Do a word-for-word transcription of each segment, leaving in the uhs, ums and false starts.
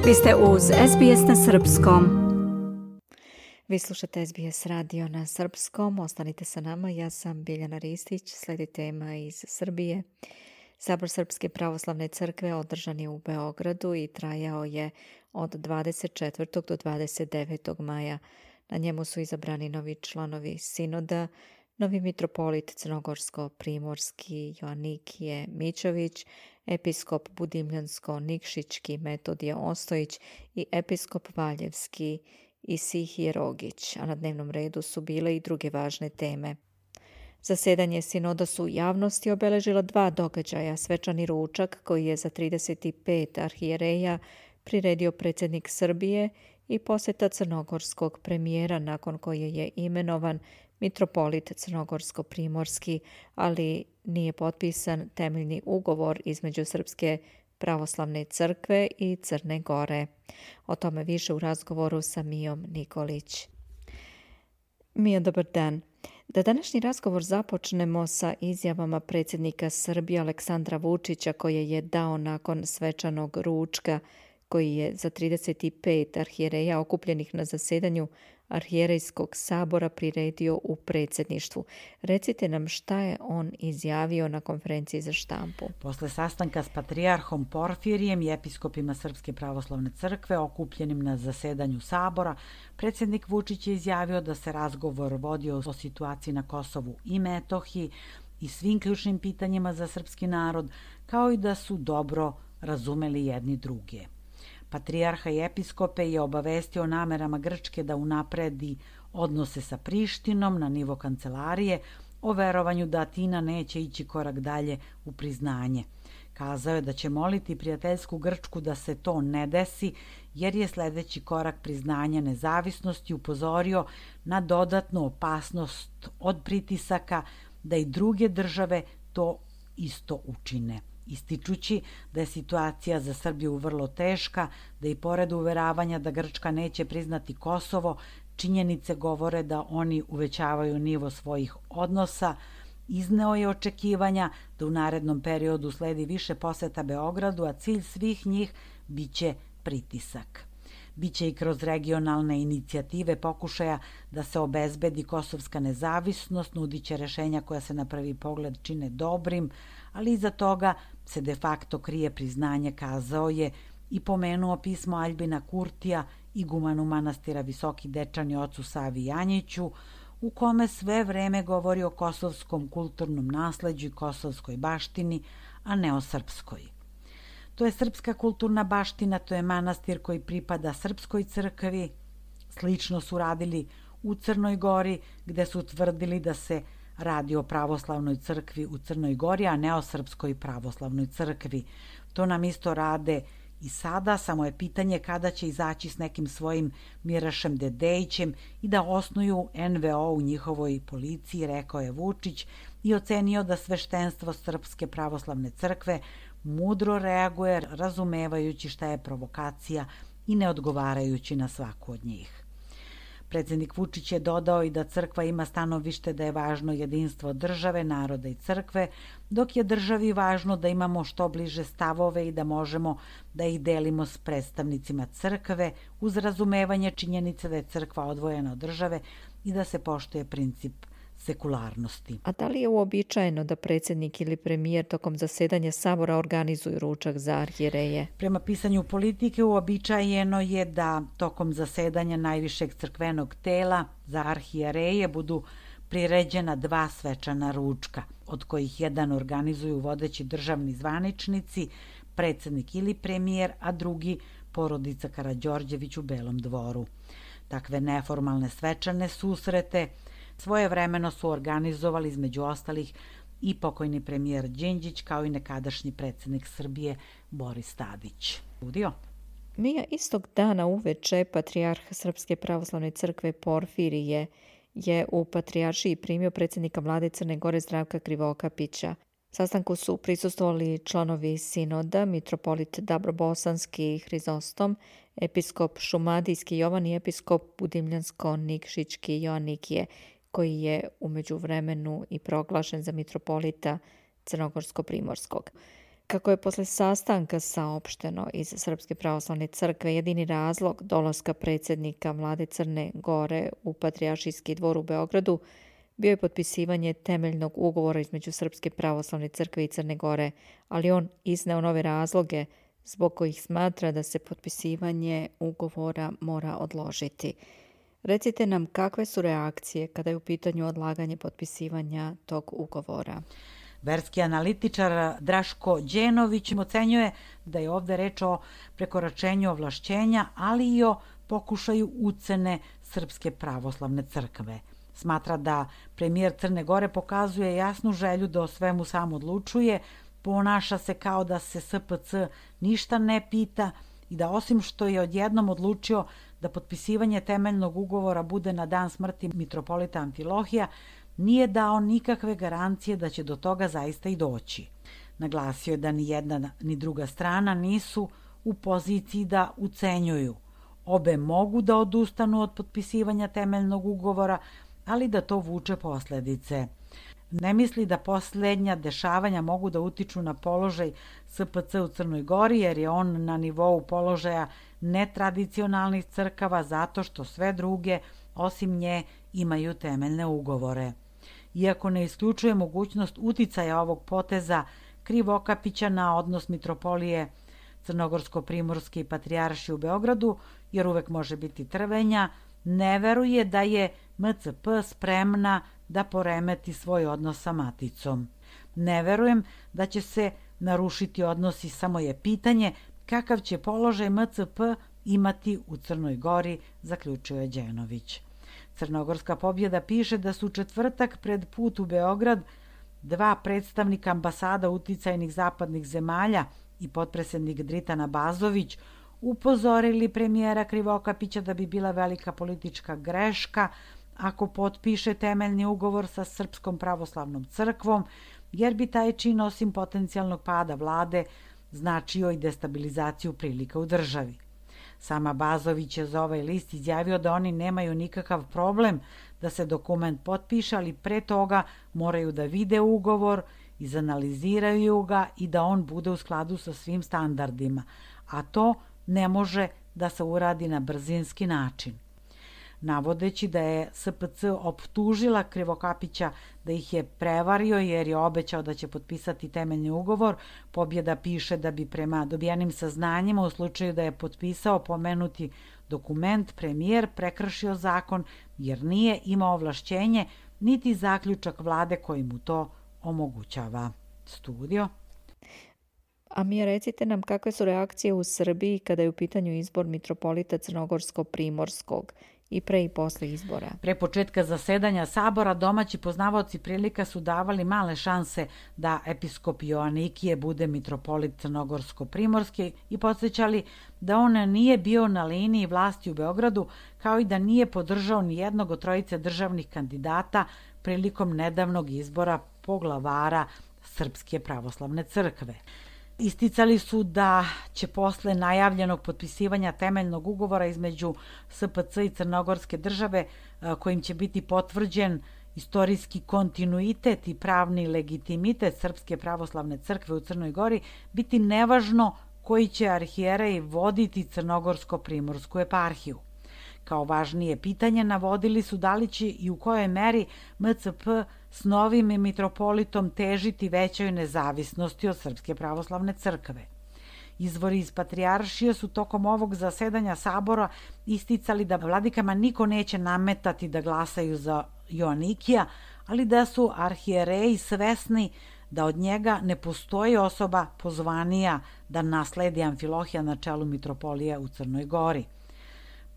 Vi ste uz S B S na srpskom. Vi slušate S B S radio na srpskom. Ostanite sa nama. Ja sam Biljana Ristić. Slijedi tema iz Srbije. Sabor Srpske pravoslavne crkve održan je u Beogradu i trajao je od dvadeset četvrtog do dvadeset devetog maja. Na njemu su izabrani novi članovi sinoda, novi mitropolit crnogorsko-primorski Joanikije Mićović, episkop budimljansko-nikšićki Metodije Ostojić i episkop valjevski Isihije Rogić, a na dnevnom redu su bile i druge važne teme. Zasedanje sinoda su u javnosti obeležila dva događaja, svečani ručak koji je za trideset pet arhijereja priredio predsjednik Srbije i posjeta crnogorskog premijera nakon koje je imenovan mitropolit crnogorsko-primorski, ali nije potpisan temeljni ugovor između Srpske pravoslavne crkve i Crne Gore. O tome više u razgovoru sa Mijom Nikolić. Mija, dobar dan. Da današnji razgovor započnemo sa izjavama predsjednika Srbije Aleksandra Vučića koje je dao nakon svečanog ručka koji je za trideset pet arhijereja okupljenih na zasedanju Arhijerejskog sabora priredio u predsjedništvu. Recite nam šta je on izjavio na konferenciji za štampu. Posle sastanka s patrijarhom Porfirijem i episkopima Srpske pravoslavne crkve okupljenim na zasedanju sabora, predsjednik Vučić je izjavio da se razgovor vodio o situaciji na Kosovu i Metohiji i svim ključnim pitanjima za srpski narod, kao i da su dobro razumeli jedni druge. Patrijarha i episkope je obavestio o namerama Grčke da unapredi odnose sa Prištinom na nivo kancelarije, o verovanju da Atina neće ići korak dalje u priznanje. Kazao je da će moliti prijateljsku Grčku da se to ne desi, jer je sljedeći korak priznanja nezavisnosti upozorio na dodatnu opasnost od pritisaka da i druge države to isto učine. Ističući da je situacija za Srbiju vrlo teška, da i pored uveravanja da Grčka neće priznati Kosovo, činjenice govore da oni uvećavaju nivo svojih odnosa, izneo je očekivanja da u narednom periodu sledi više poseta Beogradu, a cilj svih njih biće pritisak. Biće i kroz regionalne inicijative pokušaja da se obezbedi kosovska nezavisnost, nudit će rešenja koja se na prvi pogled čine dobrim, ali iza toga se de facto krije priznanje, kazao je i pomenuo pismo Aljbina Kurtija, igumanu manastira Visoki Dečani ocu Savi Janjiću, u kome sve vreme govori o kosovskom kulturnom nasleđu i kosovskoj baštini, a ne o srpskoj. To je srpska kulturna baština, to je manastir koji pripada srpskoj crkvi. Slično su radili u Crnoj Gori, gde su tvrdili da se radi o pravoslavnoj crkvi u Crnoj Gori, a ne o srpskoj pravoslavnoj crkvi. To nam isto rade i sada, samo je pitanje kada će izaći s nekim svojim Mirašem Dedejićem i da osnuju en ve o u njihovoj policiji, rekao je Vučić i ocenio da sveštenstvo Srpske pravoslavne crkve mudro reaguje, razumevajući šta je provokacija i ne odgovarajući na svaku od njih. Predsjednik Vučić je dodao i da crkva ima stanovište da je važno jedinstvo države, naroda i crkve, dok je državi važno da imamo što bliže stavove i da možemo da ih delimo s predstavnicima crkve uz razumevanje činjenice da je crkva odvojena od države i da se poštuje princip sekularnosti. A da li je uobičajeno da predsjednik ili premijer tokom zasedanja sabora organizuju ručak za arhijereje? Prema pisanju Politike uobičajeno je da tokom zasedanja najvišeg crkvenog tela za arhijereje budu priređena dva svečana ručka, od kojih jedan organizuju vodeći državni zvaničnici, predsjednik ili premijer, a drugi porodica Karađorđević u Belom dvoru. Takve neformalne svečane susrete svojevremeno su organizovali između ostalih i pokojni premijer Đinđić kao i nekadašnji predsjednik Srbije Boris Tadić. Udio? Mija, istog dana uveče patrijarh Srpske pravoslavne crkve Porfirije je u patrijaršiji primio predsjednika vlade Crne Gore Zdravka Krivokapića. Sastanku su prisustvovali članovi sinoda, mitropolit Dabrobosanski Hrizostom, episkop Šumadijski Jovan i episkop Budimljansko-nikšićki Joanikije, koji je u međuvremenu i proglašen za mitropolita Crnogorsko-primorskog. Kako je posle sastanka saopšteno iz Srpske pravoslavne crkve, jedini razlog dolaska predsjednika vlade Crne Gore u Patrijaršijski dvor u Beogradu bio je potpisivanje temeljnog ugovora između Srpske pravoslavne crkve i Crne Gore, ali on izneo nove razloge zbog kojih smatra da se potpisivanje ugovora mora odložiti. Recite nam kakve su reakcije kada je u pitanju odlaganje potpisivanja tog ugovora? Verski analitičar Draško Đenović ocenjuje da je ovde reč o prekoračenju ovlašćenja, ali i o pokušaju ucene Srpske pravoslavne crkve. Smatra da premijer Crne Gore pokazuje jasnu želju da o svemu sam odlučuje, ponaša se kao da se S P C ništa ne pita i da osim što je odjednom odlučio da potpisivanje temeljnog ugovora bude na dan smrti mitropolita Amfilohija, nije dao nikakve garancije da će do toga zaista i doći. Naglasio je da ni jedna ni druga strana nisu u poziciji da ucenjuju. Obe mogu da odustanu od potpisivanja temeljnog ugovora, ali da to vuče posledice. Ne misli da posljednja dešavanja mogu da utiču na položaj S P C u Crnoj Gori, jer je on na nivou položaja netradicionalnih crkava zato što sve druge, osim nje, imaju temeljne ugovore. Iako ne isključuje mogućnost uticaja ovog poteza Krivokapića na odnos mitropolije Crnogorsko-Primorske i Patrijaršije u Beogradu, jer uvek može biti trvenja, ne veruje da je M C P spremna da poremeti svoj odnos sa maticom. Ne verujem da će se narušiti odnosi, samo je pitanje kakav će položaj M C P imati u Crnoj Gori, zaključio je Đenović. Crnogorska pobjeda piše da su četvrtak pred put u Beograd dva predstavnika ambasada uticajnih zapadnih zemalja i potpredsjednik Dritan Abazović upozorili premijera Krivokapića da bi bila velika politička greška ako potpiše temeljni ugovor sa Srpskom pravoslavnom crkvom, jer bi taj čin osim potencijalnog pada vlade značio i destabilizaciju prilika u državi. Sam Abazović je za ovaj list izjavio da oni nemaju nikakav problem da se dokument potpiše, ali pre toga moraju da vide ugovor, izanaliziraju ga i da on bude u skladu sa svim standardima, a to ne može da se uradi na brzinski način. Navodeći da je S P C optužila Krivokapića da ih je prevario jer je obećao da će potpisati temeljni ugovor, Pobjeda piše da bi prema dobijenim saznanjima u slučaju da je potpisao pomenuti dokument premijer prekršio zakon jer nije imao ovlašćenje niti zaključak vlade koji mu to omogućava. Studio. A mi recite nam kakve su reakcije u Srbiji kada je u pitanju izbor mitropolita Crnogorsko-Primorskog i pre i posle izbora. Pre početka zasedanja sabora domaći poznavaoci prilika su davali male šanse da episkop Joanikije bude mitropolit Crnogorsko-Primorske i podsjećali da on nije bio na liniji vlasti u Beogradu, kao i da nije podržao ni jednog od trojice državnih kandidata prilikom nedavnog izbora poglavara Srpske pravoslavne crkve. Isticali su da će posle najavljenog potpisivanja temeljnog ugovora između S P C i Crnogorske države, kojim će biti potvrđen istorijski kontinuitet i pravni legitimitet Srpske pravoslavne crkve u Crnoj Gori, biti nevažno koji će arhijerej voditi Crnogorsko-Primorsku eparhiju. Kao važnije pitanje navodili su da li će i u kojoj meri M C P s novim mitropolitom težiti većoj nezavisnosti od Srpske pravoslavne crkve. Izvori iz Patrijaršije su tokom ovog zasedanja sabora isticali da vladikama niko neće nametati da glasaju za Joanikija, ali da su arhijereji svesni da od njega ne postoji osoba pozvanija da nasledi Amfilohija na čelu mitropolije u Crnoj Gori.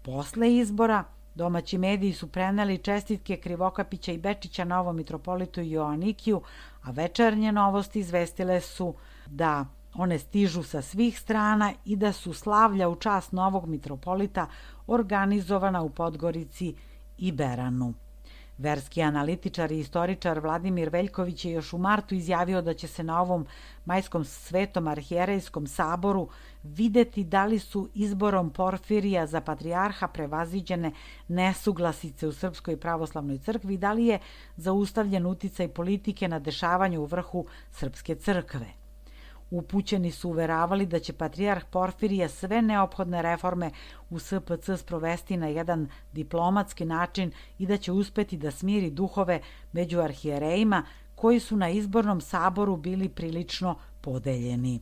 Posle izbora, domaći mediji su preneli čestitke Krivokapića i Bečića novom mitropolitu Joanikiju, a večernje novosti izvestile su da one stižu sa svih strana i da su slavlja u čast novog mitropolita organizovana u Podgorici i Beranu. Verski analitičar i istoričar Vladimir Veljković je još u martu izjavio da će se na ovom majskom svetom arhijerejskom saboru videti da li su izborom Porfirija za patrijarha prevaziđene nesuglasice u Srpskoj pravoslavnoj crkvi i da li je zaustavljen uticaj politike na dešavanju u vrhu Srpske crkve. Upućeni su uveravali da će patrijarh Porfirije sve neophodne reforme u S P C sprovesti na jedan diplomatski način i da će uspeti da smiri duhove među arhijerejima koji su na izbornom saboru bili prilično podeljeni.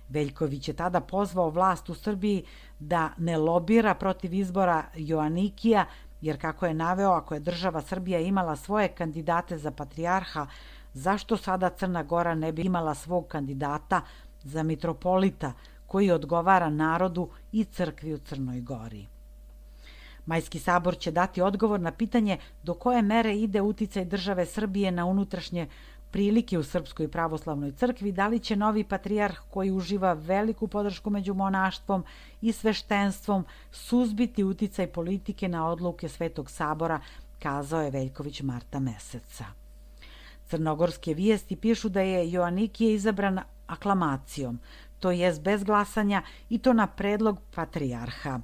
Veljković je tada pozvao vlast u Srbiji da ne lobira protiv izbora Joanikija, jer kako je naveo, ako je država Srbija imala svoje kandidate za patrijarha, zašto sada Crna Gora ne bi imala svog kandidata za mitropolita koji odgovara narodu i crkvi u Crnoj Gori? Majski sabor će dati odgovor na pitanje do koje mere ide uticaj države Srbije na unutrašnje prilike u Srpskoj pravoslavnoj crkvi, da li će novi patrijarh koji uživa veliku podršku među monaštvom i sveštenstvom suzbiti uticaj politike na odluke Svetog sabora, kazao je Veljković marta meseca. Crnogorske vijesti pišu da je Joanikije izabran aklamacijom, to jest bez glasanja i to na predlog patrijarha.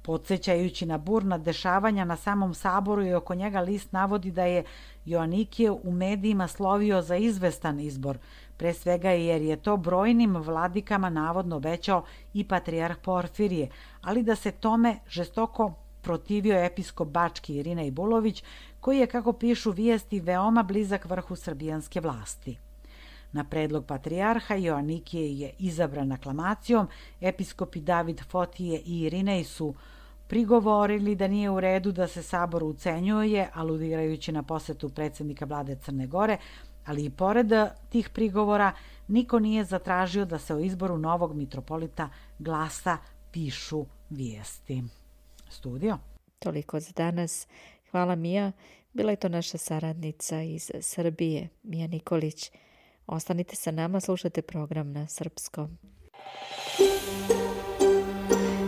Podsjećajući na burna dešavanja na samom saboru i oko njega list navodi da je Joanikije u medijima slovio za izvestan izbor, pre svega jer je to brojnim vladikama navodno obećao i patrijarh Porfirije, ali da se tome žestoko protivio episkop Bački Irinej Bulović, koji je, kako pišu vijesti, veoma blizak vrhu srbijanske vlasti. Na predlog patrijarha Joanikije je izabran aklamacijom, episkopi David Fotije i Irinej su prigovorili da nije u redu da se sabor ucenjuje, aludirajući na posetu predsjednika vlade Crne Gore, ali i pored tih prigovora niko nije zatražio da se o izboru novog mitropolita glasa, pišu vijesti. Studio. Toliko za danas. Hvala Mija. Bila je to naša saradnica iz Srbije, Mija Nikolić. Ostanite sa nama, slušajte program na srpskom.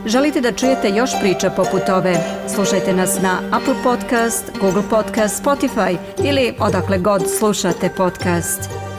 Želite da čujete još priča poput ove? Slušajte nas na Apple Podcast, Google Podcast, Spotify ili odakle god slušate podcast.